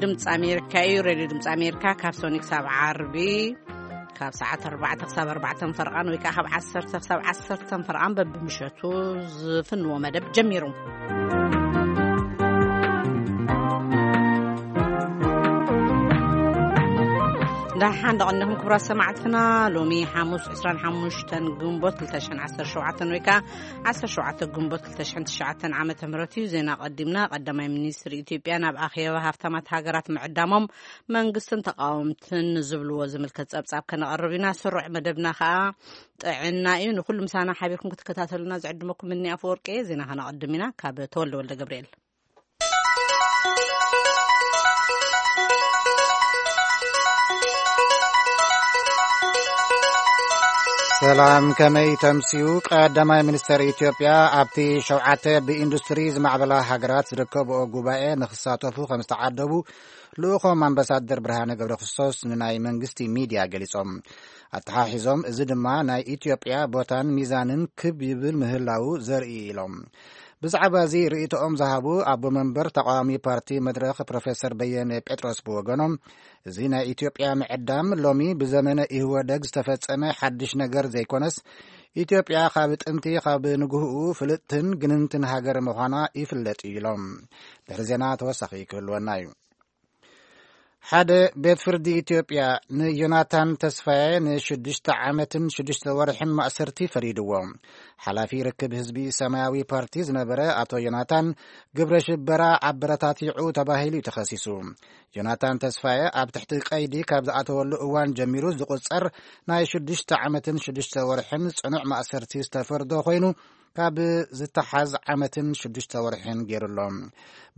ድምፂ ኣሜሪካ እዩ። ሬድዮ ድምፂ ኣሜሪካ ካብ ሶኒ ክሳብ ዓርቢ ካብ ሰዓት ኣርባዕተ ክሳብ ኣርባዕተ ፈርቓን ወይ ከዓ ካብ ዓሰርተ ክሳብ ዓሰርተ ፈርቓን በብምሸቱ ዝፍንዎ መደብ ጀሚሩ። ደሓን ደቐኒኹም ክቡራት ሰማዕትና። ሎሚ ሓሙስ ዕስራን ሓሙሽተን ግንቦት ክልተ ሽሕን ዓሰርተ ሸውዓተን ወይ ከዓ ዓሰርተ ሸውዓተ ግንቦት ክልተ ሽሕን ትሽዓተን ዓመተ ምህረት እዩ። ዜና ቀዲምና። ቀዳማይ ሚኒስትር ኢትዮጵያ ናብ ኣኼባ ሃፍታማት ሃገራት ምዕዳሞም መንግስትን ተቃወምትን ዝብልዎ ዝምልከት ጸብጻብ ከነቐርብ ኢና። ስሩዕ መደብና ከኣ ጥዕና እዩ። ንኹሉ ምሳና ሓቢርኩም ክትከታተሉና ዝዕድመኩም እኒ ኣፈወርቂ። ዜና ከነቐድም ኢና። ካብ ተወልደ ወልደ ገብርኤል። ሰላም፣ ከመይ ተምስዩ? ቀዳማይ ሚኒስተር ኢትዮጵያ ኣብቲ ሸውዓተ ብኢንዱስትሪ ዝማዕበላ ሃገራት ዝርከብኦ ጉባኤ ንኽሳተፉ ከም ዝተዓደቡ ልኡኾም ኣምባሳደር ብርሃነ ገብረ ክርስቶስ ንናይ መንግስቲ ሚድያ ገሊጾም። ኣተሓሒዞም፣ እዚ ድማ ናይ ኢትዮጵያ ቦታን ሚዛንን ክብ ይብል ምህላዉ ዘርኢ ኢሎም። ብዛዕባ እዚ ርእይቶኦም ዝሃቡ ኣቦ መንበር ተቃዋሚ ፓርቲ መድረኽ ፕሮፌሰር በየነ ጴጥሮስ ብወገኖም፣ እዚ ናይ ኢትዮጵያ ምዕዳም ሎሚ ብዘመነ ኢህወደግ ዝተፈጸመ ሓድሽ ነገር ዘይኮነስ፣ ኢትዮጵያ ካብ ጥንቲ ካብ ንግህኡ ፍልጥትን ግንንትን ሃገር ምዃና ይፍለጥ እዩ ኢሎም። ድሕሪ ዜና ተወሳኺ ክህልወና እዩ። ሓደ ቤት ፍርዲ ኢትዮጵያ ንዮናታን ተስፋዬ ንሽዱሽተ ዓመትን ሽዱሽተ ወርሕን ማእሰርቲ ፈሪድዎ። ሓላፊ ርክብ ህዝቢ ሰማያዊ ፓርቲ ዝነበረ ኣቶ ዮናታን ግብረ ሽበራ ኣበረታቲዑ ተባሂሉ እዩ ተኸሲሱ። ዮናታን ተስፋዬ ኣብ ትሕቲ ቀይዲ ካብ ዝኣተወሉ እዋን ጀሚሩ ዝቑጸር ናይ ሽዱሽተ ዓመትን ሽዱሽተ ወርሕን ጽኑዕ ማእሰርቲ ዝተፈርዶ ኮይኑ፣ ካብ ዝተሓዝ ዓመትን ሽዱሽተ ወርሕን ገይሩ ኣሎ።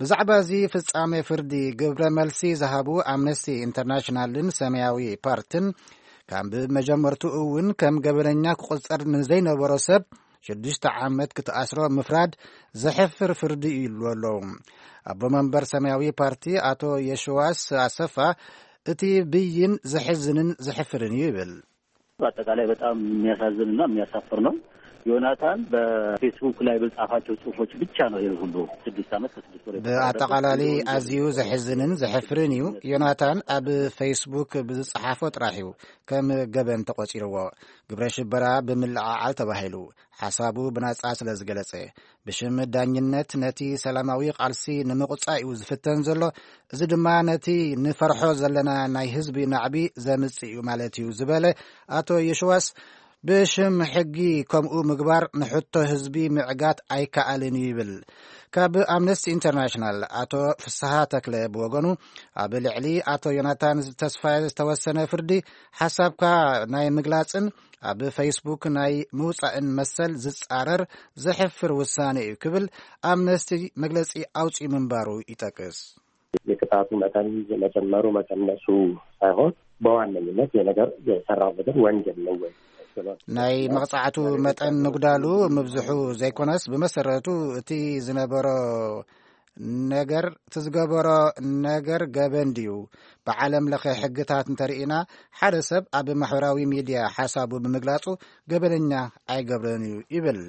ብዛዕባ እዚ ፍጻሜ ፍርዲ ግብረ መልሲ ዝሃቡ ኣምነስቲ ኢንተርናሽናልን ሰማያዊ ፓርትን፣ ካብ መጀመርቱ እውን ከም ገበነኛ ክቑጸር ንዘይነበሮ ሰብ ሽዱሽተ ዓመት ክትኣስሮ ምፍራድ ዘሕፍር ፍርዲ እዩ ይብሉ ኣለዉ። ኣቦ መንበር ሰማያዊ ፓርቲ ኣቶ የሽዋስ ኣሰፋ፣ እቲ ብይን ዘሕዝንን ዘሕፍርን እዩ ይብል። በአጠቃላይ በጣም የሚያሳዝንና የሚያሳፍር ነው። ዮናታን በፌስቡክ ላይ በጻፋቸው ጽሁፎች ብቻ ነው ይህ ሁሉ ስድስት ዓመት ከስድስት ወር የተፈረደበት። ብኣጠቓላሊ ኣዝዩ ዘሕዝንን ዘሕፍርን እዩ። ዮናታን ኣብ ፌስቡክ ብዝጸሓፎ ጥራሕ እዩ ከም ገበን ተቖጺርዎ። ግብረ ሽበራ ብምልዕዓል ተባሂሉ፣ ሓሳቡ ብናጻ ስለ ዝገለጸ፣ ብሽም ዳኝነት ነቲ ሰላማዊ ቃልሲ ንምቑጻእ እዩ ዝፍተን ዘሎ። እዚ ድማ ነቲ ንፈርሖ ዘለና ናይ ህዝቢ ናዕቢ ዘምጽእ እዩ ማለት እዩ ዝበለ ኣቶ የሽዋስ፣ ብሽም ሕጊ ከምኡ ምግባር ንሕቶ ህዝቢ ምዕጋት ኣይከኣልን እዩ ይብል። ካብ ኣምነስቲ ኢንተርናሽናል ኣቶ ፍስሃ ተክለ ብወገኑ፣ ኣብ ልዕሊ ኣቶ ዮናታን ተስፋዬ ዝተወሰነ ፍርዲ ሓሳብካ ናይ ምግላጽን ኣብ ፌስቡክ ናይ ምውጻእን መሰል ዝጻረር ዘሕፍር ውሳኔ እዩ ክብል ኣምነስቲ መግለጺ ኣውጺኡ ምንባሩ ይጠቅስ። የቅጣቱ መጠን መጨመሩ መቀነሱ ሳይሆን በዋነኝነት የነገር የሰራው ነገር ወንጀል ነው ወይ? ናይ መቕጻዕቱ መጠን ምጉዳሉ ምብዝሑ ዘይኮነስ፣ ብመሰረቱ እቲ ዝነበሮ ነገር፣ እቲ ዝገበሮ ነገር ገበን ድዩ? ብዓለም ለኸ ሕግታት እንተርኢና፣ ሓደ ሰብ ኣብ ማሕበራዊ ሚድያ ሓሳቡ ብምግላጹ ገበነኛ ኣይገብርን እዩ ይብል።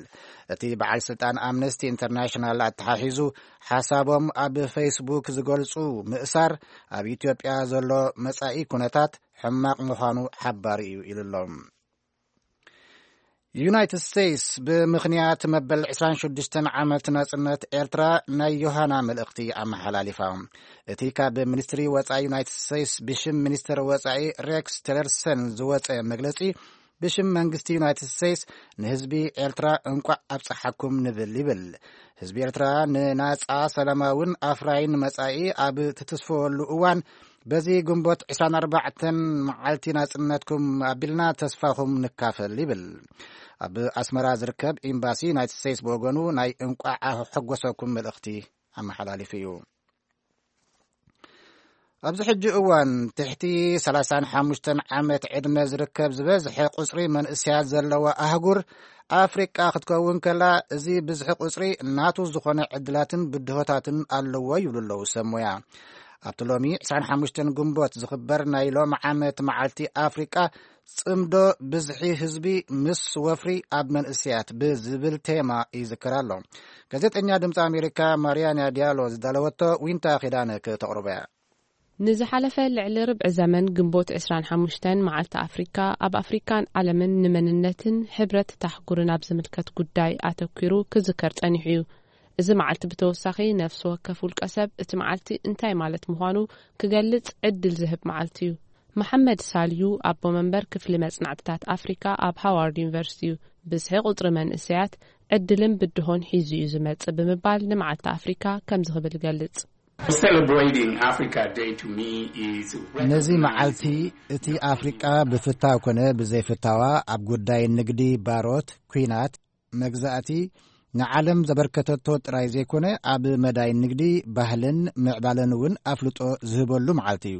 እቲ በዓል ስልጣን ኣምነስቲ ኢንተርናሽናል ኣተሓሒዙ፣ ሓሳቦም ኣብ ፌስቡክ ዝገልጹ ምእሳር ኣብ ኢትዮጵያ ዘሎ መጻኢ ኩነታት ሕማቕ ምዃኑ ሓባሪ እዩ ኢሉ ኣሎ። ዩናይትድ ስቴትስ ብምኽንያት መበል ዕስራን ሽዱሽተን ዓመት ናጽነት ኤርትራ ናይ ዮሃና መልእኽቲ ኣመሓላሊፋ። እቲ ካብ ሚኒስትሪ ወጻኢ ዩናይትድ ስቴትስ ብሽም ሚኒስትር ወጻኢ ሬክስ ቲለርሰን ዝወጸ መግለጺ፣ ብሽም መንግስቲ ዩናይትድ ስቴትስ ንህዝቢ ኤርትራ እንቋዕ ኣብጽሓኩም ንብል ይብል። ህዝቢ ኤርትራ ንናጻ፣ ሰላማውን ኣፍራይን መጻኢ ኣብ ትትስፈወሉ እዋን፣ በዚ ግንቦት ዕስራን ኣርባዕተን መዓልቲ ናጽነትኩም ኣቢልና ተስፋኹም ንካፈል ይብል። ኣብ ኣስመራ ዝርከብ ኤምባሲ ዩናይትድ ስቴትስ ብወገኑ ናይ እንቋዕ ኣሐጎሰኩም መልእኽቲ ኣመሓላሊፉ እዩ። ኣብዚ ሕጂ እዋን ትሕቲ ሰላሳን ሓሙሽተን ዓመት ዕድመ ዝርከብ ዝበዝሐ ቁጽሪ መንእሰያት ዘለዋ ኣህጉር ኣፍሪቃ ክትከውን ከላ፣ እዚ ብዝሒ ቁጽሪ ናቱ ዝኾነ ዕድላትን ብድሆታትን ኣለዎ ይብሉ ኣለዉ ሰብ ሞያ። ኣብቲ ሎሚ ዕስራን ሓሙሽተን ግንቦት ዝኽበር ናይ ሎም ዓመት መዓልቲ ኣፍሪቃ፣ ጽምዶ ብዝሒ ህዝቢ ምስ ወፍሪ ኣብ መንእሰያት ብዝብል ቴማ ይዝከር ኣሎ። ጋዜጠኛ ድምፂ ኣሜሪካ ማሪያና ዲያሎ ዝዳለወቶ ዊንታ ኪዳነ ከተቕርቦ እያ። ንዝሓለፈ ልዕሊ ርብዒ ዘመን ግንቦት ዕስራን ሓሙሽተን መዓልቲ ኣፍሪካ ኣብ ኣፍሪካን ዓለምን ንመንነትን ሕብረት ታሕጉርን ኣብ ዝምልከት ጉዳይ ኣተኲሩ ክዝከር ጸኒሑ እዩ። እዚ መዓልቲ ብተወሳኺ ነፍሲ ወከፍ ውልቀ ሰብ እቲ መዓልቲ እንታይ ማለት ምዃኑ ክገልጽ ዕድል ዝህብ መዓልቲ እዩ። መሓመድ ሳልዩ ኣቦ መንበር ክፍሊ መጽናዕትታት ኣፍሪካ ኣብ ሃዋርድ ዩኒቨርሲቲ እዩ። ብዝሒ ቁጽሪ መንእሰያት ዕድልን ብድሆን ሒዙ እዩ ዝመጽእ ብምባል ንመዓልቲ ኣፍሪካ ከምዚ ክብል ይገልጽ። Celebrating Africa Day to me is ነዚ መዓልቲ እቲ ኣፍሪቃ ብፍታው ኮነ ብዘይፍታዋ ኣብ ጉዳይ ንግዲ፣ ባሮት፣ ኲናት፣ መግዛእቲ ንዓለም ዘበርከተቶ ጥራይ ዘይኮነ ኣብ መዳይ ንግዲ፣ ባህልን ምዕባለን እውን ኣፍልጦ ዝህበሉ መዓልቲ እዩ።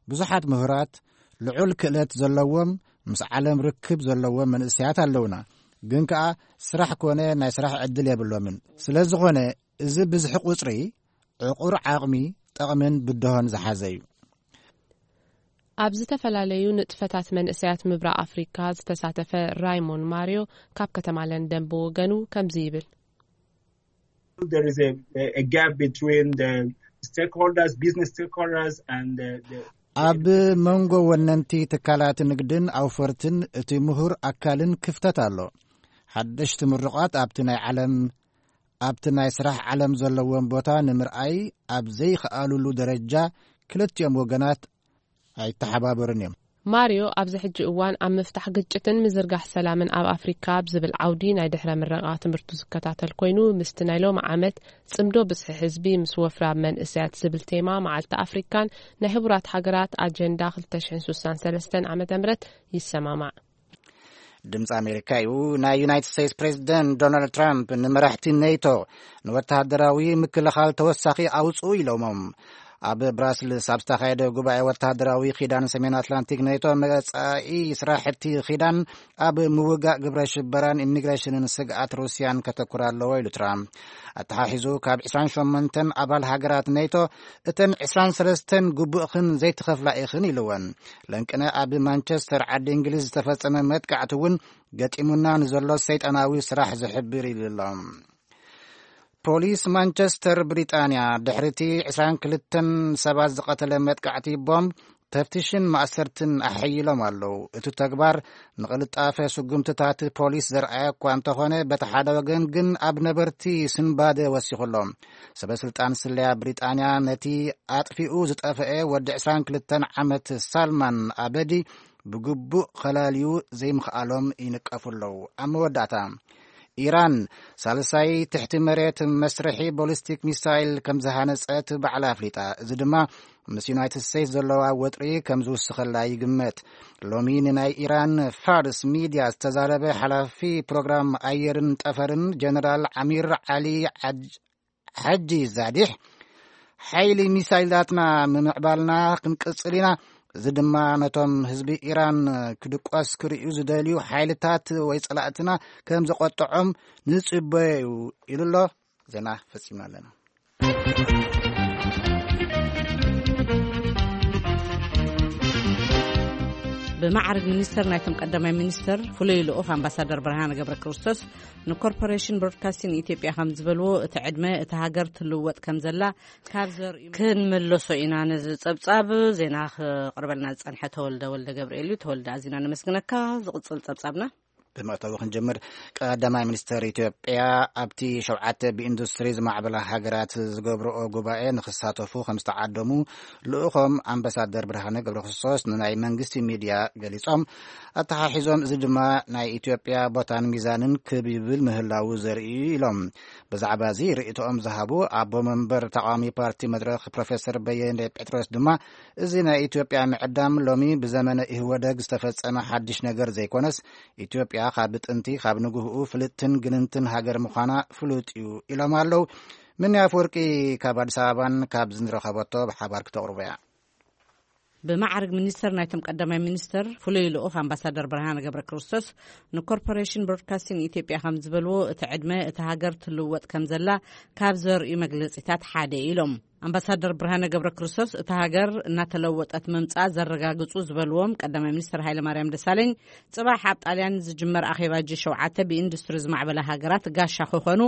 ብዙሓት ምሁራት ልዑል ክእለት ዘለዎም ምስ ዓለም ርክብ ዘለዎም መንእሰያት ኣለውና፣ ግን ከኣ ስራሕ ኮነ ናይ ስራሕ ዕድል የብሎምን። ስለ ዝኾነ እዚ ብዝሒ ቁጽሪ ዕቑር ዓቕሚ፣ ጠቕምን ብድሆን ዝሓዘ እዩ። ኣብ ዝተፈላለዩ ንጥፈታት መንእሰያት ምብራቕ ኣፍሪካ ዝተሳተፈ ራይሞን ማርዮ ካብ ከተማ ለንደን ብወገኑ ከምዚ ይብል። There is a, a gap between the stakeholders, business stakeholders, and the, the ኣብ መንጎ ወነንቲ ትካላት ንግድን ኣውፈርትን እቲ ምሁር ኣካልን ክፍተት ኣሎ። ሓደሽቲ ምሩቓት ኣብቲ ናይ ዓለም ኣብቲ ናይ ስራሕ ዓለም ዘለዎም ቦታ ንምርኣይ ኣብ ዘይከኣሉሉ ደረጃ ክልቲኦም ወገናት ኣይተሓባበሩን እዮም። ማርዮ ኣብዚ ሕጂ እዋን ኣብ ምፍታሕ ግጭትን ምዝርጋሕ ሰላምን ኣብ ኣፍሪካ ኣብ ዝብል ዓውዲ ናይ ድሕረ ምረቓ ትምህርቱ ዝከታተል ኮይኑ ምስቲ ናይ ሎሚ ዓመት ጽምዶ ብዝሒ ህዝቢ ምስ ወፍሪ ኣብ መንእሰያት ዝብል ቴማ መዓልቲ ኣፍሪካን ናይ ህቡራት ሃገራት ኣጀንዳ ክልተ ሽሕን ስሳን ሰለስተን ዓመተ ምህረት ይሰማማዕ። ድምፂ ኣሜሪካ እዩ። ናይ ዩናይትድ ስቴትስ ፕሬዚደንት ዶናልድ ትራምፕ ንመራሕቲ ኔቶ ንወተሃደራዊ ምክልኻል ተወሳኺ ኣውፅኡ ኢሎሞም። ኣብ ብራስልስ ኣብ ዝተኻየደ ጉባኤ ወተሃደራዊ ኪዳን ሰሜን ኣትላንቲክ ኔቶ መፃኢ ስራሕቲ ኪዳን ኣብ ምውጋእ ግብረ ሽበራን ኢሚግሬሽንን ስግኣት ሩስያን ከተኩር ኣለዎ ኢሉ ትራምፕ። ኣተሓሒዙ ካብ ዕስራን ሸሞንተን ኣባል ሃገራት ኔቶ እተን ዕስራን ሰለስተን ግቡእኽን ዘይትኸፍላ ኢኽን ኢልወን። ለንቅነ ኣብ ማንቸስተር ዓዲ እንግሊዝ ዝተፈጸመ መጥቃዕቲ እውን ገጢሙና ንዘሎ ሰይጣናዊ ስራሕ ዝሕብር ኢሉ ኣሎ። ፖሊስ ማንቸስተር ብሪጣንያ ድሕሪቲ ዕስራን ክልተን ሰባት ዝቐተለ መጥቃዕቲ ቦምብ ተፍትሽን ማእሰርትን ኣሐይሎም ኣለዉ። እቲ ተግባር ንቕልጣፈ ስጉምትታት ፖሊስ ዘርኣየ እኳ እንተኾነ በቲ ሓደ ወገን ግን ኣብ ነበርቲ ስንባደ ወሲኹ ኣሎ። ሰበ ስልጣን ስለያ ብሪጣንያ ነቲ ኣጥፊኡ ዝጠፍአ ወዲ ዕስራን ክልተን ዓመት ሳልማን ኣበዲ ብግቡእ ከላልዩ ዘይምኽኣሎም ይንቀፉ ኣለዉ። ኣብ መወዳእታ ኢራን ሳልሳይ ትሕቲ መሬት መስርሒ ቦሊስቲክ ሚሳይል ከም ዝሃነጸት ባዕላ ኣፍሊጣ። እዚ ድማ ምስ ዩናይትድ ስቴትስ ዘለዋ ወጥሪ ከም ዝውስኸላ ይግመት። ሎሚ ንናይ ኢራን ፋርስ ሚድያ ዝተዛረበ ሓላፊ ፕሮግራም ኣየርን ጠፈርን ጀነራል ዓሚር ዓሊ ሓጂ ዛዲሕ ሓይሊ ሚሳይላትና ምምዕባልና ክንቅጽል ኢና። እዚ ድማ ነቶም ህዝቢ ኢራን ክድቆስ ክርእዩ ዝደልዩ ሓይልታት ወይ ጸላእትና ከም ዘቆጥዖም ንጽበዮ እዩ ኢሉ ኣሎ። ዜና ፈጺምና ኣለና። ብማዕርግ ሚኒስተር ናይቶም ቀዳማይ ሚኒስተር ፍሉይ ልኡኽ ኣምባሳደር ብርሃነ ገብረ ክርስቶስ ንኮርፖሬሽን ብሮድካስቲንግ ኢትዮጵያ ከም ዝበልዎ እቲ ዕድመ እቲ ሃገር ትልወጥ ከም ዘላ ካብ ዘርእዩ ክንምለሶ ኢና። ነዚ ጸብጻብ ዜና ክቕርበልና ዝጸንሐ ተወልደ ወልደ ገብርኤል እዩ። ተወልደ ኣዚና ነመስግነካ። ዝቕጽል ጸብጻብና ብመእተዊ ክንጀምር ቀዳማይ ሚኒስተር ኢትዮጵያ ኣብቲ ሸውዓተ ብኢንዱስትሪ ዝማዕበላ ሃገራት ዝገብርኦ ጉባኤ ንክሳተፉ ከም ዝተዓደሙ ልኡኾም ኣምባሳደር ብርሃነ ገብረክርስቶስ ንናይ መንግስቲ ሚድያ ገሊጾም። ኣተሓሒዞም እዚ ድማ ናይ ኢትዮጵያ ቦታን ሚዛንን ክብ ይብል ምህላዉ ዘርኢ እዩ ኢሎም። ብዛዕባ እዚ ርእይቶኦም ዝሃቡ ኣቦ መንበር ተቃዋሚ ፓርቲ መድረኽ ፕሮፌሰር በየነ ጴጥሮስ ድማ እዚ ናይ ኢትዮጵያ ምዕዳም ሎሚ ብዘመነ ኢህወደግ ዝተፈጸመ ሓድሽ ነገር ዘይኮነስ ኢትዮጵያ ካብ ጥንቲ ካብ ንግህኡ ፍልጥትን ግንንትን ሃገር ምዃና ፍሉጥ እዩ ኢሎም ኣለዉ። ምኒ ኣፈወርቂ ካብ ኣዲስ ኣበባን ካብ ዝንረኸበቶ ብሓባር ክተቕርቦ እያ። ብማዕርግ ሚኒስተር ናይቶም ቀዳማይ ሚኒስተር ፍሉይ ልኡኽ ኣምባሳደር ብርሃነ ገብረ ክርስቶስ ንኮርፖሬሽን ብሮድካስቲንግ ኢትዮጵያ ከም ዝበልዎ እቲ ዕድመ እቲ ሃገር ትልወጥ ከም ዘላ ካብ ዘርእዩ መግለጺታት ሓደ ኢሎም። ኣምባሳደር ብርሃነ ገብረ ክርስቶስ እቲ ሃገር እናተለወጠት ምምጻእ ዘረጋግጹ ዝበልዎም ቀዳማይ ሚኒስተር ሃይለ ማርያም ደሳለኝ ጽባሕ ኣብ ጣልያን ዝጅመር ኣኼባ ጂ ሸውዓተ ብኢንዱስትሪ ዝማዕበላ ሃገራት ጋሻ ክኾኑ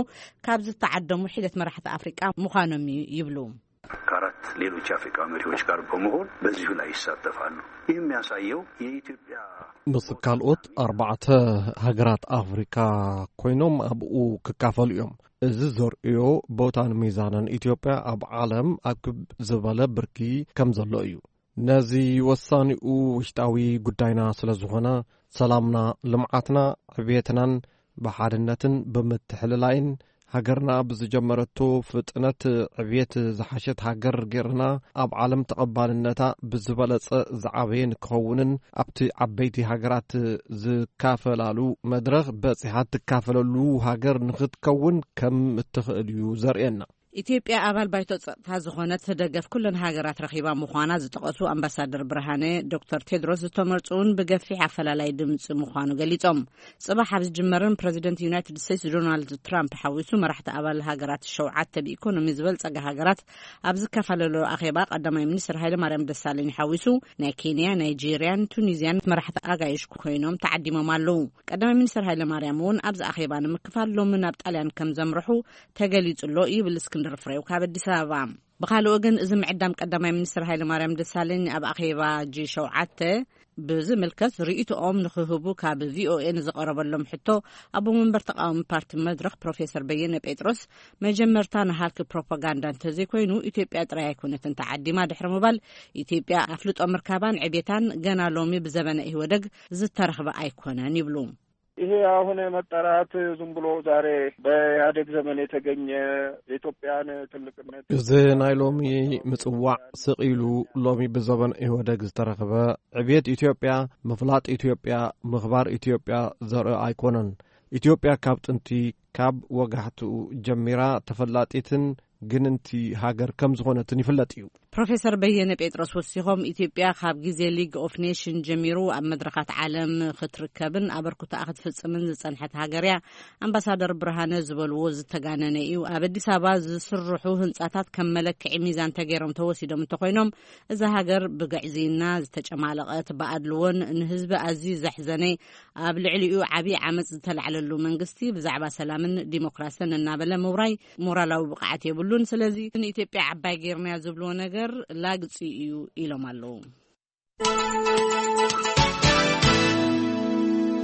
ካብ ዝተዓደሙ ሒደት መራሕቲ ኣፍሪቃ ምዃኖም እዩ ይብሉ። ከአራት ሌሎች የአፍሪካ መሪዎች ጋር በመሆን በዚሁ ላይ ይሳተፋሉ። ይህ የሚያሳየው የኢትዮጵያ ምስ ካልኦት ኣርባዕተ ሃገራት ኣፍሪካ ኮይኖም ኣብኡ ክካፈሉ እዮም። እዚ ዘርእዮ ቦታን ሚዛንን ኢትዮጵያ ኣብ ዓለም ኣብ ክብ ዝበለ ብርኪ ከም ዘሎ እዩ። ነዚ ወሳኒኡ ውሽጣዊ ጉዳይና ስለ ዝኾነ፣ ሰላምና፣ ልምዓትና፣ ዕብየትናን ብሓድነትን ብምትሕልላይን ሃገርና ብዝጀመረቶ ፍጥነት ዕብየት ዝሓሸት ሃገር ጌርና ኣብ ዓለም ተቐባልነታ ብዝበለጸ ዝዓበየ ንክኸውንን ኣብቲ ዓበይቲ ሃገራት ዝካፈላለሉ መድረኽ በጺሓ ትካፈለሉ ሃገር ንኽትከውን ከም እትኽእል እዩ ዘርእየና። ኢትዮጵያ ኣባል ባይቶ ጸጥታ ዝኾነት ደገፍ ኩለን ሃገራት ረኺባ ምዃና ዝጠቐሱ ኣምባሳደር ብርሃነ፣ ዶክተር ቴድሮስ ዝተመርጹ እውን ብገፊሕ ኣፈላላይ ድምጺ ምዃኑ ገሊጾም። ጽባሕ ኣብ ዝጅመርን ፕረዚደንት ዩናይትድ ስቴትስ ዶናልድ ትራምፕ ሓዊሱ መራሕቲ ኣባል ሃገራት ሸውዓተ ብኢኮኖሚ ዝበልጸጋ ሃገራት ኣብ ዝካፈላለሉ ኣኼባ ቀዳማይ ሚኒስትር ሃይለማርያም ደሳለኝ ሓዊሱ ናይ ኬንያ፣ ናይጄርያን ቱኒዝያን መራሕቲ ኣጋይሽ ኮይኖም ተዓዲሞም ኣለዉ። ቀዳማይ ሚኒስትር ሃይለማርያም እውን ኣብዚ ኣኼባ ንምክፋል ሎሚ ናብ ጣልያን ከም ዘምርሑ ተገሊጹ ኣሎ ይብል እስክንድር ፍሬው ካብ ኣዲስ ኣበባ። ብኻልእ ወገን፣ እዚ ምዕዳም ቀዳማይ ሚኒስትር ሃይለማርያም ደሳለኝ ኣብ ኣኼባ ጂ ሸውዓተ ብዝምልከት ርእይቶኦም ንኽህቡ ካብ ቪኦኤ ንዝቐረበሎም ሕቶ፣ ኣቦ መንበር ተቃዋሚ ፓርቲ መድረኽ ፕሮፌሰር በየነ ጴጥሮስ፣ መጀመርታ ንሃልኪ ፕሮፓጋንዳ እንተዘይኮይኑ፣ ኢትዮጵያ ጥራይ ኣይኮነትን ተዓዲማ ድሕሪ ምባል፣ ኢትዮጵያ ኣፍልጦ ምርካባን ዕቤታን ገና ሎሚ ብዘበነ ኢህወደግ ዝተረኽበ ኣይኮነን ይብሉ። ይሄ አሁን መጠራት ዝም ብሎ ዛሬ በኢህአዴግ ዘመን የተገኘ የኢትዮጵያን ትልቅነት እዚ ናይ ሎሚ ምጽዋዕ ስቕ ኢሉ ሎሚ ብዘበን ኢህወደግ ዝተረኽበ ዕብየት ኢትዮጵያ፣ ምፍላጥ ኢትዮጵያ፣ ምኽባር ኢትዮጵያ ዘርኢ ኣይኮነን። ኢትዮጵያ ካብ ጥንቲ፣ ካብ ወጋሕትኡ ጀሚራ ተፈላጢትን ግንንቲ ሃገር ከም ዝኾነትን ይፍለጥ እዩ። ፕሮፌሰር በየነ ጴጥሮስ ወሲኾም፣ ኢትዮጵያ ካብ ግዜ ሊግ ኦፍ ኔሽን ጀሚሩ ኣብ መድረኻት ዓለም ክትርከብን ኣበርክቶኣ ክትፍጽምን ዝጸንሐት ሃገር እያ። ኣምባሳደር ብርሃነ ዝበልዎ ዝተጋነነ እዩ። ኣብ ኣዲስ ኣበባ ዝስርሑ ህንጻታት ከም መለክዒ ሚዛን ተገይሮም ተወሲዶም እንተኾይኖም፣ እዛ ሃገር ብግዕዝይና ዝተጨማለቐት፣ ብኣድልዎን ንህዝቢ ኣዝዩ ዘሕዘነ፣ ኣብ ልዕሊኡ ዓብዪ ዓመጽ ዝተላዕለሉ መንግስቲ ብዛዕባ ሰላምን ዲሞክራስን እናበለ ምውራይ ሞራላዊ ብቕዓት የብሉን። ስለዚ ንኢትዮጵያ ዓባይ ጌርናያ ዝብልዎ ነገር ላግጺ እዩ ኢሎም ኣለዉ።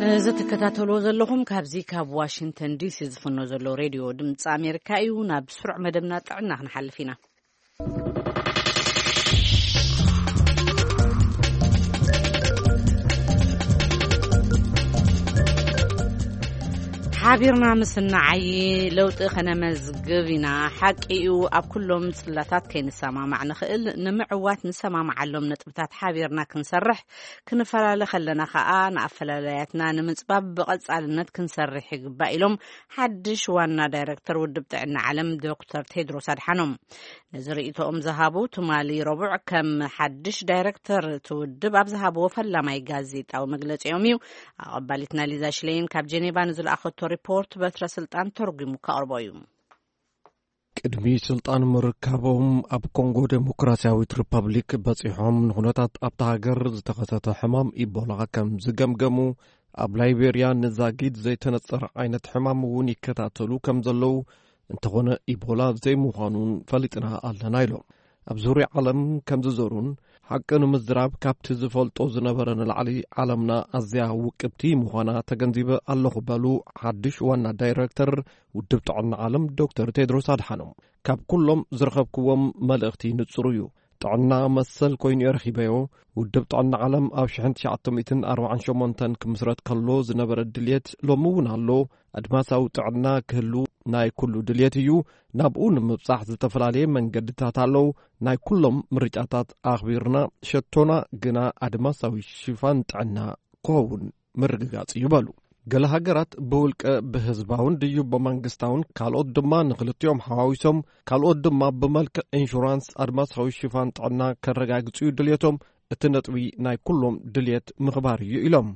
እዚ ትከታተልዎ ዘለኹም ካብዚ ካብ ዋሽንግተን ዲሲ ዝፍኖ ዘሎ ሬድዮ ድምፂ ኣሜሪካ እዩ። ናብ ስሩዕ መደብና ጥዕና ክንሓልፍ ኢና። ሓቢርና ምስ ንዓዪ ለውጢ ከነመዝግብ ኢና። ሓቂ እዩ፣ ኣብ ኩሎም ጽላታት ከይንሰማማዕ ንኽእል። ንምዕዋት ንሰማማዓሎም ነጥብታት ሓቢርና ክንሰርሕ፣ ክንፈላለ ከለና ከኣ ንኣፈላላያትና ንምጽባብ ብቐጻልነት ክንሰርሕ ይግባእ ኢሎም ሓድሽ ዋና ዳይረክተር ውድብ ጥዕና ዓለም ዶክተር ቴድሮስ ኣድሓኖም። ነዚ ርእይቶኦም ዝሃቡ ትማሊ ረቡዕ ከም ሓድሽ ዳይረክተር እቲ ውድብ ኣብ ዝሃብዎ ፈላማይ ጋዜጣዊ መግለጺኦም እዩ። ኣቐባሊትና ሊዛ ሽሌይን ካብ ጀኔቫ ንዝለኣኸቶ ሪፖርት በትረ ስልጣን ተርጒሙ ከቕርቦ እዩ። ቅድሚ ስልጣን ምርካቦም ኣብ ኮንጎ ዴሞክራሲያዊት ሪፐብሊክ በጺሖም ንኹነታት ኣብታ ሃገር ዝተኸሰተ ሕማም ኢቦላ ከም ዝገምገሙ፣ ኣብ ላይቤርያ ንዛጊድ ዘይተነጸረ ዓይነት ሕማም እውን ይከታተሉ ከም ዘለዉ፣ እንተኾነ ኢቦላ ዘይምዃኑን ፈሊጥና ኣለና ኢሎም። ኣብ ዙርያ ዓለም ከም ዝዞሩን ሓቂ ንምዝራብ ካብቲ ዝፈልጦ ዝነበረ ንላዕሊ ዓለምና ኣዝያ ውቅብቲ ምዃና ተገንዚበ ኣለኹ በሉ ሓድሽ ዋና ዳይረክተር ውድብ ጥዕና ዓለም ዶክተር ቴድሮስ ኣድሓኖም። ካብ ኩሎም ዝረኸብክዎም መልእኽቲ ንጹር እዩ። ጥዕና መሰል ኮይኑ እየ ረኺበዮ። ውድብ ጥዕና ዓለም ኣብ ሽሕን ትሽዓተ ሚእትን ኣርባዓን ሸሞንተን ክምስረት ከሎ ዝነበረ ድልየት ሎሚ እውን ኣሎ። ኣድማሳዊ ጥዕና ክህሉ ናይ ኩሉ ድልየት እዩ። ናብኡ ንምብጻሕ ዝተፈላለየ መንገድታት ኣለዉ። ናይ ኩሎም ምርጫታት ኣኽቢርና ሸቶና ግና ኣድማሳዊ ሽፋን ጥዕና ክኸውን ምርግጋጽ እዩ በሉ። ገለ ሃገራት ብውልቀ ብህዝባውን ድዩ ብመንግስታውን፣ ካልኦት ድማ ንክልቲኦም ሓዋዊሶም፣ ካልኦት ድማ ብመልክዕ ኢንሹራንስ ኣድማሳዊ ሽፋን ጥዕና ከረጋግጹ እዩ ድልየቶም። እቲ ነጥቢ ናይ ኩሎም ድልየት ምኽባር እዩ ኢሎም።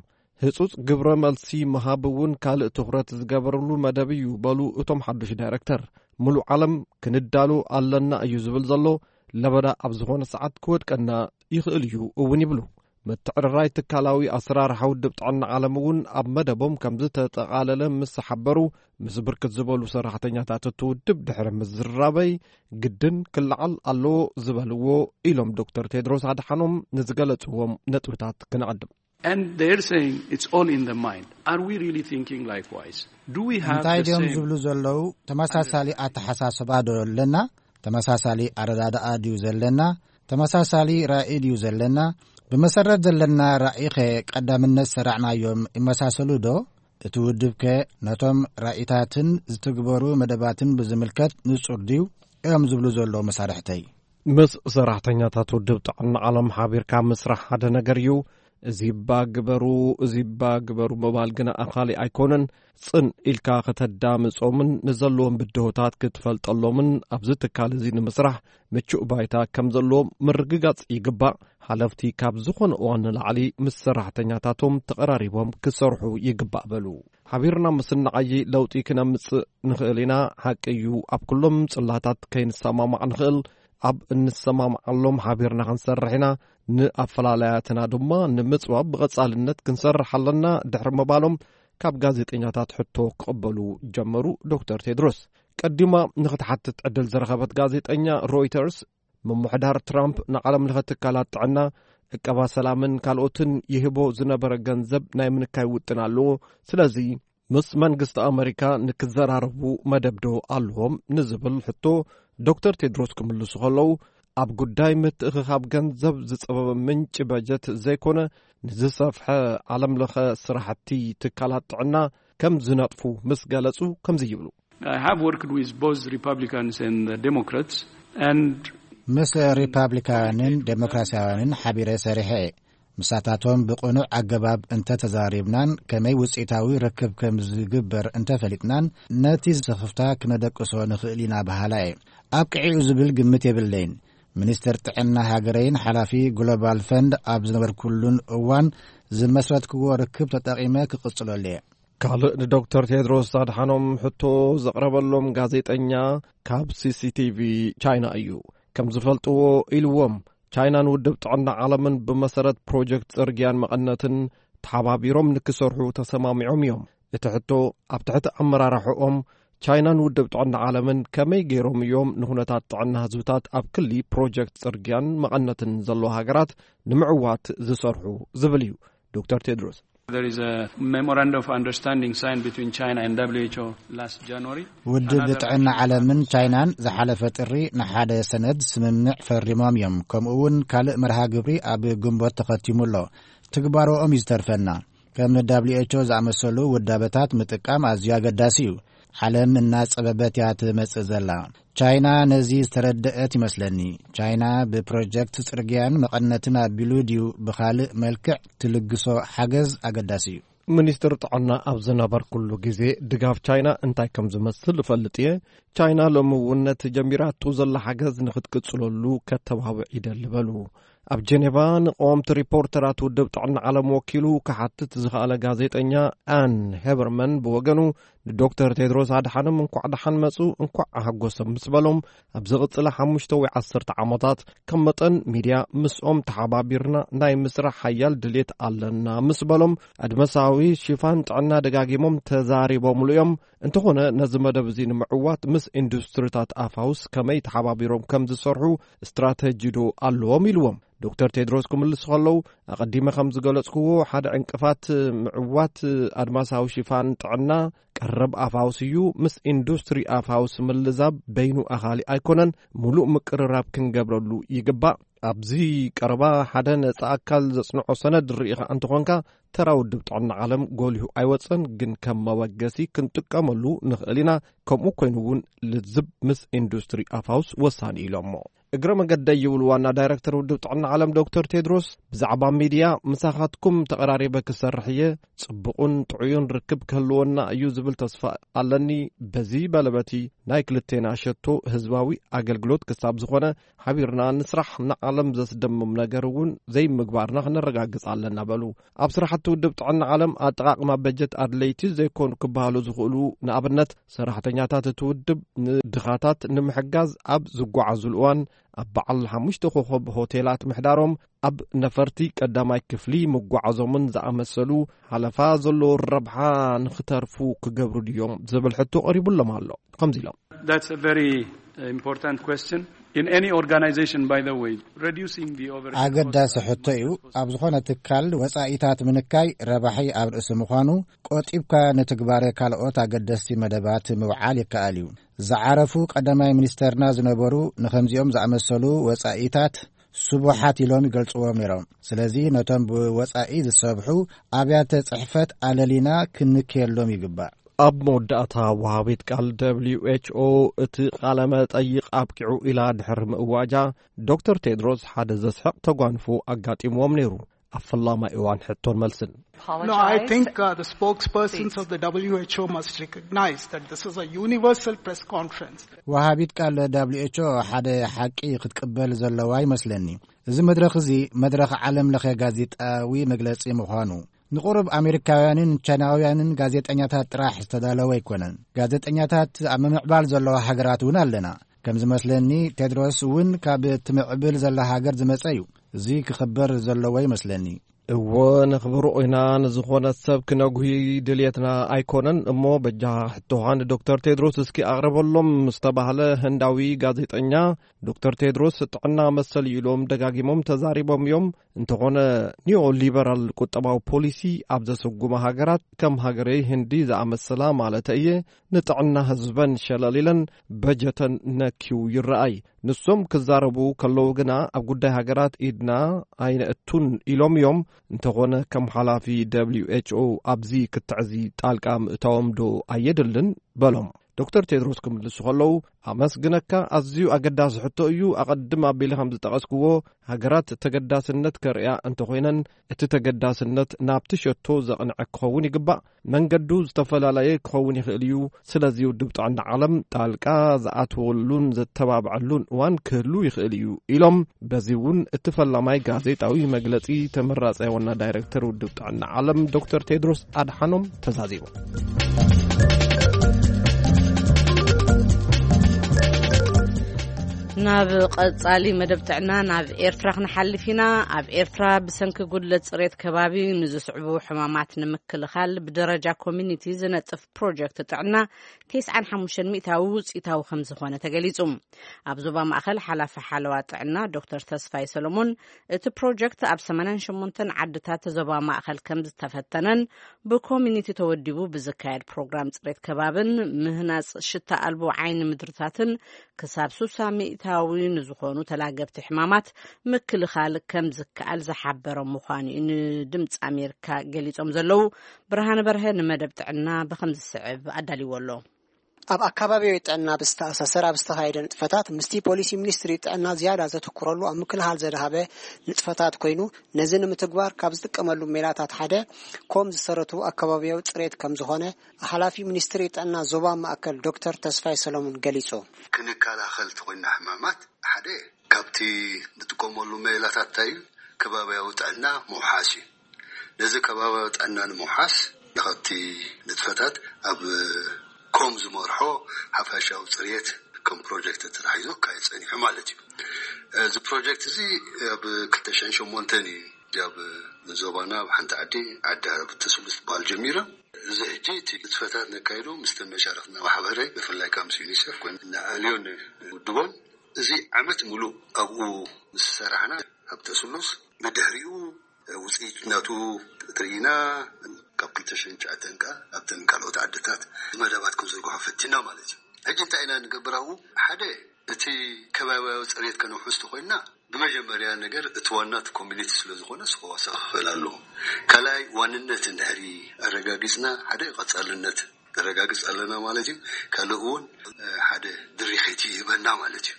ህጹጽ ግብረ መልሲ ምሃብ እውን ካልእ ትኹረት ዝገበረሉ መደብ እዩ በሉ እቶም ሓዱሽ ዳይረክተር። ምሉእ ዓለም ክንዳሎ ኣለና እዩ ዝብል ዘሎ። ለበዳ ኣብ ዝኾነ ሰዓት ክወድቀና ይኽእል እዩ እውን ይብሉ። ምትዕርራይ ትካላዊ ኣሰራርሓ ውድብ ጥዕና ዓለም እውን ኣብ መደቦም ከም ዝተጠቓለለ ምስ ሓበሩ፣ ምስ ብርክት ዝበሉ ሰራሕተኛታት እቲ ውድብ ድሕሪ ምዝራበይ፣ ግድን ክለዓል ኣለዎ ዝበልዎ ኢሎም ዶክተር ቴድሮስ ኣድሓኖም ንዝገለጽዎም ነጥብታት ክነቐድም። And they're saying it's all in the mind. Are we really thinking likewise? Do we have እንታይ the ድዮም same ዝብሉ ዘለዉ? ተመሳሳሊ ኣተሓሳስባ ዶ ኣለና? ተመሳሳሊ ኣረዳድኣ ድዩ ዘለና? ተመሳሳሊ ራእይ ድዩ ዘለና? ብመሰረት ዘለና ራእይኸ ቀዳምነት ሰራዕናዮም ይመሳሰሉ ዶ? እቲ ውድብከ ነቶም ራእይታትን ዝትግበሩ መደባትን ብዝምልከት ንጹር ድዩ? እዮም ዝብሉ ዘለዉ መሳርሕተይ። ምስ ሰራሕተኛታት ውድብ ጥዕና ዓለም ሓቢርካ ምስራሕ ሓደ ነገር እዩ። እዚ እባ ግበሩ፣ እዚ እባ ግበሩ ምባል ግና ኣኻሊ ኣይኮነን። ጽን ኢልካ ከተዳምጾምን ንዘለዎም ብድሆታት ክትፈልጠሎምን ኣብዚ ትካል እዚ ንምስራሕ ምቹእ ባይታ ከም ዘለዎም ምርግጋጽ ይግባእ። ሓለፍቲ ካብ ዝኾነ እዋን ንላዕሊ ምስ ሰራሕተኛታቶም ተቐራሪቦም ክሰርሑ ይግባእ በሉ። ሓቢርና ምስ ንዓዪ ለውጢ ክነምጽእ ንኽእል ኢና። ሓቂ እዩ፣ ኣብ ኩሎም ጽላታት ከይንሰማማዕ ንኽእል። ኣብ እንሰማምዓሎም ሓቢርና ክንሰርሕ ኢና። ንኣፈላላያትና ድማ ንምጽባብ ብቐጻልነት ክንሰርሕ ኣለና ድሕሪ ምባሎም፣ ካብ ጋዜጠኛታት ሕቶ ክቕበሉ ጀመሩ። ዶክተር ቴድሮስ ቀዲማ ንኽትሓትት ዕድል ዝረኸበት ጋዜጠኛ፣ ሮይተርስ፣ ምምሕዳር ትራምፕ ንዓለም ለኸ ትካላት ጥዕና፣ ዕቀባ ሰላምን ካልኦትን ይህቦ ዝነበረ ገንዘብ ናይ ምንካይ ውጥን ኣለዎ። ስለዚ ምስ መንግስቲ ኣመሪካ ንክዘራረቡ መደብ ዶ ኣለዎም ንዝብል ሕቶ፣ ዶክተር ቴድሮስ ክምልሱ ከለዉ፣ ኣብ ጉዳይ ምትእኽኻብ ገንዘብ ዝጸበበ ምንጪ በጀት ዘይኮነ፣ ንዝሰፍሐ ዓለም ለኸ ስራሕቲ ትካላት ጥዕና ከም ዝነጥፉ ምስ ገለጹ ከምዚ ይብሉ። I have worked with both Republicans and the Democrats, and ምስ ሪፓብሊካውያንን ዴሞክራሲያውያንን ሓቢረ ሰሪሐ እየ። ምሳታቶም ብቕኑዕ ኣገባብ እንተ ተዛሪብናን ከመይ ውጽኢታዊ ርክብ ከም ዝግበር እንተ ፈሊጥናን፣ ነቲ ስኽፍታ ክነደቅሶ ንኽእል ኢና በሃላ እየ። ኣብ ቅዒኡ ዝብል ግምት የብለይን። ሚኒስትር ጥዕና ሃገረይን ሓላፊ ግሎባል ፈንድ ኣብ ዝነበርኩሉን እዋን ዝመስረትክዎ ርክብ ተጠቒመ ክቕጽለሉ እየ። ካልእ ንዶክተር ቴድሮስ ኣድሓኖም ሕቶ ዘቕረበሎም ጋዜጠኛ ካብ ሲ ሲ ቲ ቪ ቻይና እዩ። ከም ዝፈልጥዎ ኢልዎም፣ ቻይናን ውድብ ጥዕና ዓለምን ብመሰረት ፕሮጀክት ጽርግያን መቐነትን ተሓባቢሮም ንክሰርሑ ተሰማሚዖም እዮም። እቲ ሕቶ፣ ኣብ ትሕቲ ኣመራርሕኦም ቻይናን ውድብ ጥዕና ዓለምን ከመይ ገይሮም እዮም ንኹነታት ጥዕና ህዝብታት ኣብ ክሊ ፕሮጀክት ጽርግያን መቐነትን ዘለዎ ሃገራት ንምዕዋት ዝሰርሑ ዝብል እዩ። ዶክተር ቴድሮስ There is a memorandum of understanding signed between China and W H O last January. ውድብ ጥዕና ዓለምን ቻይናን ዝሓለፈ ጥሪ ንሓደ ሰነድ ስምምዕ ፈሪሞም እዮም። ከምኡ እውን ካልእ መርሃ ግብሪ ኣብ ግንቦት ተኸቲሙ ኣሎ። ትግባሮኦም እዩ ዝተርፈና። ከም W H O ዝኣመሰሉ ውዳበታት ምጥቃም ኣዝዩ ኣገዳሲ እዩ። ዓለም እናጸበበት እያ ትመጽእ ዘላ። ቻይና ነዚ ዝተረደአት ይመስለኒ። ቻይና ብፕሮጀክት ጽርግያን መቐነትን ኣቢሉ ድዩ ብኻልእ መልክዕ ትልግሶ ሓገዝ ኣገዳሲ እዩ። ሚኒስትር ጥዕና ኣብ ዝነበርኩሉ ግዜ ድጋፍ ቻይና እንታይ ከም ዝመስል እፈልጥ እየ። ቻይና ሎሚ እውን ነቲ ጀሚራቶ ዘላ ሓገዝ ንኽትቅጽለሉ ከተባብዕ ይደሊ በሉ። ኣብ ጀኔቫ ንቀወምቲ ሪፖርተራት ውድብ ጥዕና ዓለም ወኪሉ ክሓትት ዝኸኣለ ጋዜጠኛ ኣን ሄበርመን ብወገኑ፣ ንዶክተር ቴድሮስ ኣድሓኖም እንኳዕ ደሓን መጹ፣ እንኳዕ ኣሐጎሶም ምስ በሎም፣ ኣብ ዝቕጽላ ሓሙሽተ ወይ ዓሰርተ ዓመታት ከም መጠን ሚድያ ምስኦም ተሓባቢርና ናይ ምስራሕ ሓያል ድሌት ኣለና ምስ በሎም፣ ኣድማሳዊ ሽፋን ጥዕና ደጋጊሞም ተዛሪቦምሉ እዮም። እንተኾነ ነዚ መደብ እዚ ንምዕዋት ምስ ኢንዱስትሪታት ኣፋውስ ከመይ ተሓባቢሮም ከም ዝሰርሑ ስትራተጂ ዶ ኣለዎም ኢልዎም። ዶክተር ቴድሮስ ክምልሱ ከለዉ፣ ኣቐዲመ ከም ዝገለጽክዎ፣ ሓደ ዕንቅፋት ምዕዋት ኣድማሳዊ ሽፋን ጥዕና ቀረብ ኣፋውስ እዩ። ምስ ኢንዱስትሪ ኣፋውስ ምልዛብ በይኑ ኣኻሊ ኣይኮነን፣ ምሉእ ምቅርራብ ክንገብረሉ ይግባእ። ኣብዚ ቀረባ ሓደ ነጻ ኣካል ዘጽንዖ ሰነድ ርኢኻ እንተኾንካ፣ ተራ ውድብ ጥዕና ዓለም ጎሊሁ ኣይወጸን፣ ግን ከም መበገሲ ክንጥቀመሉ ንኽእል ኢና። ከምኡ ኮይኑ እውን ልዝብ ምስ ኢንዱስትሪ ኣፋውስ ወሳኒ ኢሎሞ። እግረ መገደይ ይብሉ ዋና ዳይረክተር ውድብ ጥዕና ዓለም ዶክተር ቴድሮስ፣ ብዛዕባ ሚድያ ምሳኻትኩም ተቐራሪበ ክሰርሕ እየ፣ ጽቡቕን ጥዑዩን ርክብ ክህልወና እዩ ዝብል ተስፋ ኣለኒ። በዚ በለበቲ ናይ ክልቴና ሸቶ ህዝባዊ ኣገልግሎት ክሳብ ዝኾነ ሓቢርና ንስራሕ፣ ንዓለም ዘስደምም ነገር እውን ዘይምግባርና ክነረጋግጽ ኣለና በሉ። ኣብ ስራሕቲ ውድብ ጥዕና ዓለም ኣጠቓቕማ በጀት ኣድለይቲ ዘይኮኑ ክበሃሉ ዝኽእሉ ንኣብነት ሰራሕተኛታት እቲ ውድብ ንድኻታት ንምሕጋዝ ኣብ ዝጓዓዙሉ እዋን ኣብ በዓል ሓሙሽተ ኮኸብ ሆቴላት ምሕዳሮም፣ ኣብ ነፈርቲ ቀዳማይ ክፍሊ ምጓዓዞምን ዝኣመሰሉ ሓለፋ ዘለዎ ረብሓ ንኽተርፉ ክገብሩ ድዮም ዝብል ሕቶ ቀሪቡሎም ኣሎ። ከምዚ ኢሎም። That's a very uh, important question. In any organization, by the way, reducing the overhead cost ኣገዳሲ ሕቶ እዩ። ኣብ ዝኾነ ትካል ወጻኢታት ምንካይ ረባሒ ኣብ ርእሲ ምዃኑ፣ ቆጢብካ ንትግባረ ካልኦት ኣገደስቲ መደባት ምውዓል ይከኣል እዩ። ዝዓረፉ ቀዳማይ ሚኒስተርና ዝነበሩ ንኸምዚኦም ዝኣመሰሉ ወጻኢታት ስቡሓት ኢሎም ይገልጽዎም ነይሮም። ስለዚ ነቶም ብወጻኢ ዝሰብሑ ኣብያተ ጽሕፈት ኣለሊና ክንክየሎም ይግባእ። ኣብ መወዳእታ ወሃቢት ቃል ደብሊው ኤች ኦ እቲ ቃለ መጠይቕ ኣብቂዑ ኢላ ድሕሪ ምእዋጃ፣ ዶክተር ቴድሮስ ሓደ ዘስሕቕ ተጓንፎ ኣጋጢምዎም ነይሩ። ኣብ ፈላማይ እዋን ሕቶን መልስን። No, I think uh, the spokespersons of the W H O must recognize that this is a universal press conference. ወሃቢት ቃል ደብሊው ኤች ኦ ሓደ ሓቂ ክትቅበል ዘለዋ ይመስለኒ። እዚ መድረኽ እዚ መድረኽ ዓለም ለኸ ጋዜጣዊ መግለጺ ምዃኑ፣ ንቁሩብ ኣሜሪካውያንን ቻይናውያንን ጋዜጠኛታት ጥራሕ ዝተዳለወ ኣይኮነን። ጋዜጠኛታት ኣብ ምምዕባል ዘለዋ ሃገራት እውን ኣለና። ከም ዝመስለኒ፣ ቴድሮስ እውን ካብ ትምዕብል ዘላ ሃገር ዝመጸ እዩ። እዚ ክኽበር ዘለዎ ይመስለኒ። እወ፣ ነኽብሮ ኢና። ንዝኾነ ሰብ ክነጉሂ ድልየትና ኣይኮነን። እሞ በጃኻ ሕቶኻ ንዶክተር ቴድሮስ እስኪ ኣቕርበሎም ዝተባህለ ህንዳዊ ጋዜጠኛ፣ ዶክተር ቴድሮስ ጥዕና መሰል እዩ ኢሎም ደጋጊሞም ተዛሪቦም እዮም። እንተኾነ፣ ኒዮ ሊበራል ቁጠባዊ ፖሊሲ ኣብ ዘሰጉማ ሃገራት፣ ከም ሃገረይ ህንዲ ዝኣመሰላ ማለት እየ፣ ንጥዕና ህዝበን ሸለል ኢለን በጀተን ነክዩ ይረኣይ። ንሶም ክዛረቡ ከለዉ ግና፣ ኣብ ጉዳይ ሃገራት ኢድና ኣይነእቱን ኢሎም እዮም። እንተኾነ፣ ከም ሓላፊ ደብሊው ኤች ኦ ኣብዚ ክትዕዚ ጣልቃ ምእታዎም ዶ ኣየድልን? በሎም። ዶክተር ቴድሮስ ክምልሱ ከለዉ፣ ኣመስግነካ፣ ኣዝዩ ኣገዳሲ ሕቶ እዩ። ኣቐድም ኣቢለ ከም ዝጠቐስክዎ፣ ሃገራት ተገዳስነት ከርእያ እንተኾይነን፣ እቲ ተገዳስነት ናብቲ ሸቶ ዘቕንዐ ክኸውን ይግባእ። መንገዱ ዝተፈላለየ ክኸውን ይኽእል እዩ። ስለዚ ውድብ ጥዕና ዓለም ጣልቃ ዝኣትወሉን ዘተባብዐሉን እዋን ክህሉ ይኽእል እዩ ኢሎም። በዚ እውን እቲ ፈላማይ ጋዜጣዊ መግለጺ ተመራጻይ ዋና ዳይሬክተር ውድብ ጥዕና ዓለም ዶክተር ቴድሮስ ኣድሓኖም ተዛዚሙ። ናብ ቀጻሊ መደብ ጥዕና ናብ ኤርትራ ክንሓልፍ ኢና። ኣብ ኤርትራ ብሰንኪ ጉድለት ጽሬት ከባቢ ንዝስዕቡ ሕማማት ንምክልኻል ብደረጃ ኮሚኒቲ ዝነጥፍ ፕሮጀክት ጥዕና ተስዓን ሓሙሽተን ሚእታዊ ውጽኢታዊ ከም ዝኾነ ተገሊጹ። ኣብ ዞባ ማእከል ሓላፊ ሓለዋ ጥዕና ዶክተር ተስፋይ ሰሎሞን፣ እቲ ፕሮጀክት ኣብ ሰማንያን ሸሞንተን ዓድታት ዞባ ማእከል ከም ዝተፈተነን፣ ብኮሚኒቲ ተወዲቡ ብዝካየድ ፕሮግራም ጽሬት ከባብን ምህናጽ ሽታ ኣልቦ ዓይኒ ምድርታትን ክሳብ ሱሳ ሚእታዊ ንዝኾኑ ተላገብቲ ሕማማት ምክልኻል ከም ዝከኣል ዝሓበረ ምዃኑ እዩ ንድምፂ ኣሜሪካ ገሊጾም ዘለዉ። ብርሃነ በርሀ ንመደብ ጥዕና ብኸም ዝስዕብ ኣዳልይዎ ኣሎ። ኣብ ኣካባቢያዊ ጥዕና ብዝተኣሳሰር ኣብ ዝተኻየደ ንጥፈታት፣ ምስቲ ፖሊሲ ሚኒስትሪ ጥዕና ዝያዳ ዘተኩረሉ ኣብ ምክልኻል ዘድሃበ ንጥፈታት ኮይኑ፣ ነዚ ንምትግባር ካብ ዝጥቀመሉ ሜላታት ሓደ ኮም ዝሰረቱ ኣካባቢያዊ ጽሬት ከም ዝኾነ ሓላፊ ሚኒስትሪ ጥዕና ዞባ ማእከል ዶክተር ተስፋይ ሰሎሞን ገሊጹ። ክንከላኸል ተኾይና ሕማማት፣ ሓደ ካብቲ ንጥቀመሉ ሜላታት እንታይ እዩ? ከባቢያዊ ጥዕና ምውሓስ እዩ። ነዚ ከባቢያዊ ጥዕና ንምውሓስ፣ ካብቲ ንጥፈታት ኣብ ኮም ዝመርሖ ሓፋሻዊ ጽሬት ከም ፕሮጀክት ተታሒዙ ክካየድ ጸኒሑ ማለት እዩ። እዚ ፕሮጀክት እዚ ኣብ ክልተ ሽሕን ሸሞንተን እዩ ኣብ ዞባና ኣብ ሓንቲ ዓዲ፣ ዓዲ ዓረብ ተስሉስ ትበሃል ጀሚሩ። እዚ ሕጂ እቲ ንጥፈታት ነካይዶ ምስ ተመሻረኽና ማሕበረ፣ ብፍላይ ካብ ምስ ዩኒሴፍ ኮይኑ ንኣልዮን ውድቦን፣ እዚ ዓመት ሙሉእ ኣብኡ ምስ ሰራሕና፣ ኣብ ተስሉስ ብድሕሪኡ ውፅኢት ናቱ ትርኢና፣ ካብ ክልተ ሽሕን ትሽዓተን ከኣ ኣብተን ካልኦት ዓድታት መደባት ክንዝርግሖ ፈቲና ማለት እዩ። ሕጂ እንታይ ኢና ንገብር ኣብኡ? ሓደ፣ እቲ ከባቢያዊ ፅሬት ከነውሕስ ተኾይንና፣ ብመጀመርያ ነገር እቲ ዋና እቲ ኮሚኒቲ ስለ ዝኾነ፣ እሱ ክዋሳእ ክኽእል ኣለዎ። ካልኣይ፣ ዋንነት እንድሕሪ ኣረጋጊፅና፣ ሓደ ቀፃልነት ነረጋግፅ ኣለና ማለት እዩ። ካልእ እውን፣ እ፣ ሓደ ድሪኺት ይህበና ማለት እዩ።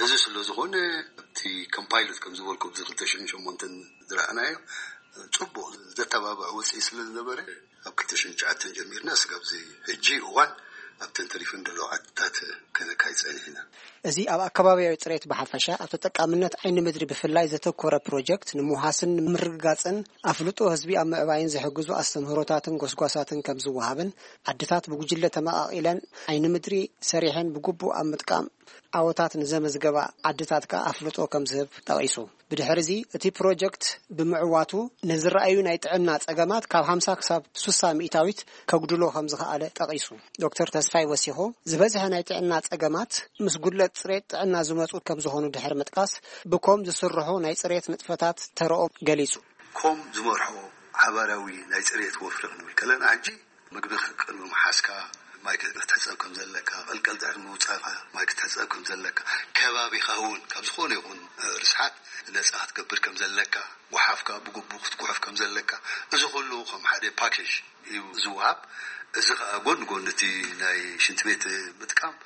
እዚ ስለ ዝኾነ፣ ኣብቲ ከም ፓይሎት ከም ዝበልኩ፣ ኣብዚ ክልተ ሽሕን ሸሞንተን ዝረኣናዮ፣ ጽቡቕ ዘተባብዕ ውጽኢት ስለ ዝነበረ፣ ኣብ ክልተ ሽሕን ትሽዓተን ጀሚርና እስካብ እዚ ሕጂ እዋን ኣብተን ተሪፈን ዘለዋ ዓድታት ከነካይድ ጸኒሕና። እዚ ኣብ ኣከባቢያዊ ጽሬት ብሓፈሻ፣ ኣብ ተጠቃምነት ዓይኒ ምድሪ ብፍላይ ዘተኮረ ፕሮጀክት ንምውሓስን ንምርግጋጽን ኣፍልጦ ህዝቢ ኣብ ምዕባይን ዝሕግዙ ኣስተምህሮታትን ጎስጓሳትን ከም ዝወሃብን ዓድታት ብጉጅለ ተመቓቒለን ዓይኒ ምድሪ ሰሪሐን ብግቡእ ኣብ ምጥቃም ዓወታት ንዘመዝገባ ዓድታት ከኣ ኣፍልጦ ከም ዝህብ ጠቒሱ። ብድሕሪ እዚ እቲ ፕሮጀክት ብምዕዋቱ ንዝረኣዩ ናይ ጥዕና ጸገማት ካብ ሓምሳ ክሳብ ሱሳ ሚእታዊት ከጉድሎ ከም ዝኸኣለ ጠቒሱ። ዶክተር ተስፋይ ወሲኹ፣ ዝበዝሐ ናይ ጥዕና ጸገማት ምስ ጉድለት ጽሬት ጥዕና ዝመጹ ከም ዝኾኑ ድሕሪ ምጥቃስ፣ ብኮም ዝስርሑ ናይ ጽሬት ንጥፈታት ተረኦም ገሊጹ። ኮም ዝመርሖ ሓባራዊ ናይ ጽሬት ወፍሪ ክንብል ከለና፣ ሕጂ ምግቢ ቅድሚ ምሓዝካ ማይ ክትሕጸብ ከም ዘለካ፣ ቀልቀል ድሕሪ ምውጻእካ ማይ ክትሕጸብ ከም ዘለካ፣ ከባቢኻ እውን ካብ ዝኾነ ይኹን ርስሓት ነጻ ክትገብር ከም ዘለካ፣ ጓሓፍካ ብግቡእ ክትጉሕፍ ከም ዘለካ፣ እዚ ኩሉ ከም ሓደ ፓኬጅ እዩ ዝወሃብ። እዚ ከኣ ጎን ጎን እቲ ናይ ሽንቲ ቤት ምጥቃም፣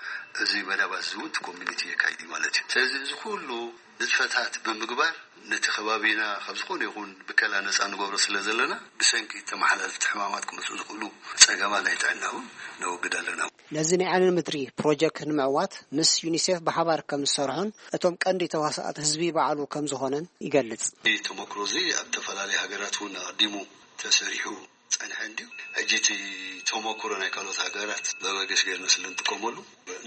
እዚ መዳባት እዚ እውን እቲ ኮሚኒቲ የካይድ እዩ ማለት እዩ። ስለዚ እዚ ኩሉ ንጥፈታት ብምግባር ነቲ ከባቢና ካብ ዝኾነ ይኹን ብከላ ነጻ ንገብሮ ስለ ዘለና፣ ብሰንኪ ተመሓላልፍቲ ሕማማት ክመጹ ዝኽእሉ ጸገማት ናይ ጥዕና እውን ነወግድ ኣለና። ነዚ ናይ ዓይኒ ምድሪ ፕሮጀክት ንምዕዋት ምስ ዩኒሴፍ ብሓባር ከም ዝሰርሑን እቶም ቀንዲ ተዋሳእቲ ህዝቢ ባዕሉ ከም ዝኾነን ይገልጽ። እዚ ተመክሮ እዚ ኣብ ዝተፈላለዩ ሃገራት እውን ኣቐዲሙ ተሰሪሑ ጸንሐ እንድዩ። ሕጂ እቲ ተመክሮ ናይ ካልኦት ሃገራት መበገሲ ገይርና ስለ እንጥቀመሉ፣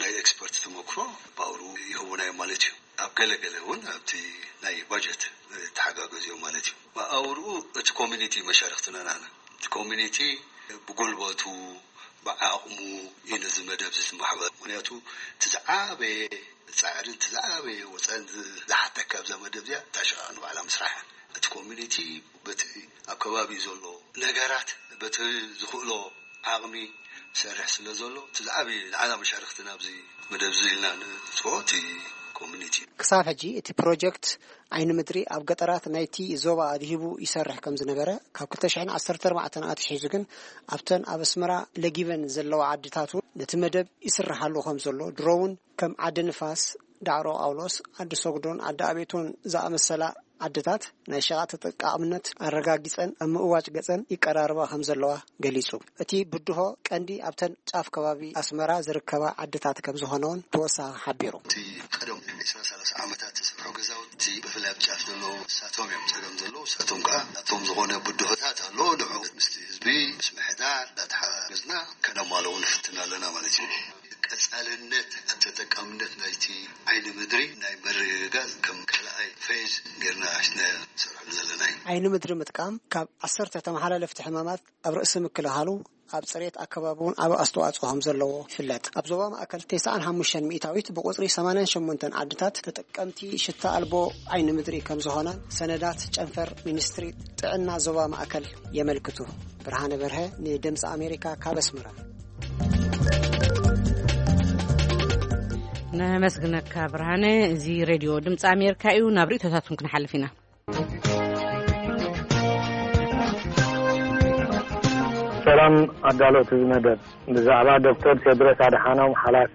ናይ ኤክስፐርት ተመክሮ ብኣውሩ ይህቡና እዮም ማለት እዩ። ኣብ ገለ ገለ እውን ኣብቲ ናይ ባጀት ተሓጋገዝ እዮም ማለት እዩ። ብኣውርኡ እቲ ኮሚኒቲ መሻርክትና ናና። እቲ ኮሚኒቲ ብጉልበቱ፣ ብዓቕሙ እዩ ነዚ መደብ እዚ ዝማሕበር። ምኽንያቱ እቲ ዝዓበየ ጻዕርን እቲ ዝዓበየ ወጻኢን ዝ-፣ ዝሓተካ ኣብዛ መደብ እዚኣ እታ ሸቓቕ ንባዕላ ምስራሕ። እቲ ኮሚኒቲ በቲ ኣብ ከባቢ ዘሎ ነገራት በቲ ዝኽእሎ ዓቕሚ ይሰርሕ ስለ ዘሎ፣ እቲ ዝዓበየ ንዓና መሻርክትና ኣብዚ መደብ እዚ ኢልና ንጽውዖ እቲ ኮሚኒቲ እዩ። ክሳብ ሕጂ እቲ ፕሮጀክት ዓይኒ ምድሪ ኣብ ገጠራት ናይቲ ዞባ ኣድሂቡ ይሰርሕ ከም ዝነበረ፣ ካብ ክልተ ሽሕን ዓሰርተ ኣርባዕተን ኣትሒዙ ግን ኣብተን ኣብ ኣስመራ ለጊበን ዘለዋ ዓድታት እውን ነቲ መደብ ይስርሓሉ ከም ዘሎ፣ ድሮ እውን ከም ዓዲ ንፋስ፣ ዳዕሮ ጳውሎስ፣ ዓዲ ሰጉዶን ዓዲ ኣቤቶን ዝኣመሰላ ዓድታት ናይ ሸቓጥ ተጠቃምነት ኣረጋጊጸን ኣብ ምእዋጅ ገጸን ይቀራረባ ከም ዘለዋ ገሊጹ። እቲ ብድሆ ቀንዲ ኣብተን ጫፍ ከባቢ ኣስመራ ዝርከባ ዓድታት ከም ዝኾነ እውን ተወሳኺ ሓቢሩ። እቲ ቀደም ዕስራ ሰላሳ ዓመታት ዝሰርሑ ገዛውቲ ብፍላይ ኣብ ጫፍ ዘለዉ ንሳቶም እዮም ጸገም ዘለዉ። ንሳቶም ከኣ ናቶም ዝኾነ ብድሆታት ኣሎ። ንዕኡ ምስቲ ህዝቢ፣ ምስ ምሕዳር እንዳተሓጋገዝና ከነማልኦ ንፍትን ኣለና ማለት እዩ። ቀጻልነት ኣብ ተጠቃምነት ናይቲ ዓይኒ ምድሪ ናይ ምርግጋጽ ከም ካልኣይ ፌዝ ጌርና ሒዝና ንሰርሐሉ ዘለና እዩ። ዓይኒ ምድሪ ምጥቃም ካብ ዓሰርተ ተመሓላለፍቲ ሕማማት ኣብ ርእሲ ምክልኻሉ፣ ኣብ ጽሬት ኣከባቢ እውን ዓቢ ኣስተዋጽኦ ከም ዘለዎ ይፍለጥ። ኣብ ዞባ ማእከል ተስዓን ሓሙሽተን ሚእታዊት ብቁጽሪ ሰማንያን ሸሞንተን ዓድታት ተጠቀምቲ ሽታ ኣልቦ ዓይኒ ምድሪ ከም ዝኾና ሰነዳት ጨንፈር ሚኒስትሪ ጥዕና ዞባ ማእከል የመልክቱ። ብርሃነ በርሀ ንድምፂ ኣሜሪካ ካብ ኣስመራ። ነመስግነካ ብርሃነ። እዚ ሬድዮ ድምፂ ኣሜሪካ እዩ። ናብ ርእይቶታትኩም ክንሓልፍ ኢና። ሰላም ኣዳለውቲ እዚ መደብ። ብዛዕባ ዶክተር ቴድሮስ ኣድሓኖም ሓላፊ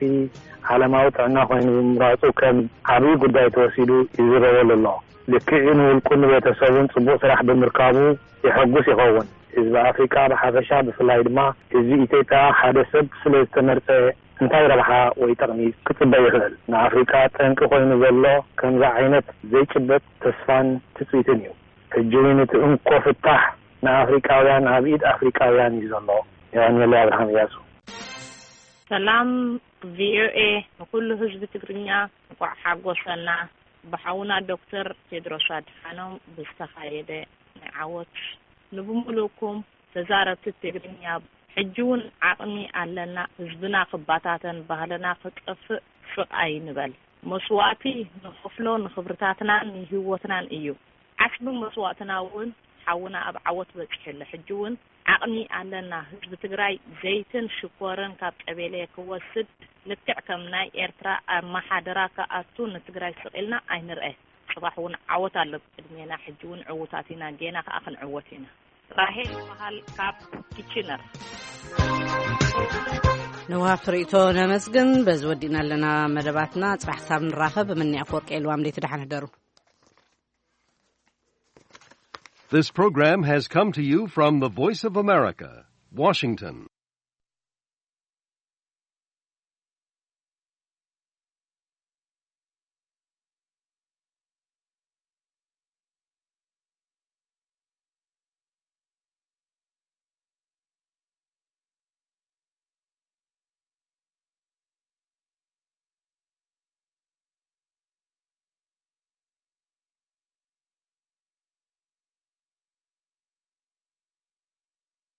ዓለማዊ ጥዕና ኮይኑ ምምራጹ ከም ዓብዪ ጉዳይ ተወሲዱ ይዝረበሉ ኣሎ። ልክዕ እዩ፣ ንውልቁን ንቤተሰቡን ጽቡቕ ስራሕ ብምርካቡ የሐጉስ ይኸውን። ህዝቢ ኣፍሪቃ ብሓፈሻ፣ ብፍላይ ድማ ህዝቢ ኢትዮጵያ ሓደ ሰብ ስለ ዝተመርጸ እንታይ ረብሓ ወይ ጠቕሚ ክጽበ ይኽእል? ንኣፍሪቃ ጠንቂ ኮይኑ ዘሎ ከምዚ ዓይነት ዘይጭበጥ ተስፋን ትጽቢትን እዩ። ሕጂ እውን እቲ እንኮ ፍታሕ ንኣፍሪቃውያን ኣብ ኢድ ኣፍሪቃውያን እዩ ዘሎ። የቐንየለይ። ኣብርሃም እያሱ። ሰላም ቪኦኤ፣ ንኩሉ ህዝቢ ትግርኛ እንኳዕ ሓጎሰና። ብሓውና ዶክተር ቴድሮስ ኣድሓኖም ብዝተኻየደ ናይ ዓወት ንብምሉእኩም ተዛረብቲ ትግርኛ፣ ሕጂ እውን ዓቕሚ ኣለና። ህዝብና ክባታተን፣ ባህልና ክጠፍእ ስቕ ኣይንበል። መስዋእቲ ንኸፍሎ ንኽብርታትናን ንህይወትናን እዩ። ዓስቢ መስዋእትና እውን ሓውና ኣብ ዓወት በጺሑ ኣሎ። ሕጂ እውን ዓቕሚ ኣለና። ህዝቢ ትግራይ ዘይትን ሽኮርን ካብ ቀቤሌ ክወስድ፣ ልክዕ ከም ናይ ኤርትራ ኣመሓድራ ክኣቱ ንትግራይ ስቕ ኢልና ኣይንርአ። ጽባሕ እውን ዓወት ኣሎ ቅድሜና። ሕጂ እውን ዕዉታት ኢና፣ ጌና ከኣ ክንዕወት ኢና። ራሄል ይበሃል ካብ ኪችነር። ንውሃብቲ ርእይቶ ነመስግን። በዚ ወዲእና ኣለና መደባትና። ጽባሕ ክሳብ ንራኸብ፣ ምንያ ኣፈወርቂ የልዋም ደይ ትደሓን ህደሩ። This program has come to you from the Voice of America, Washington.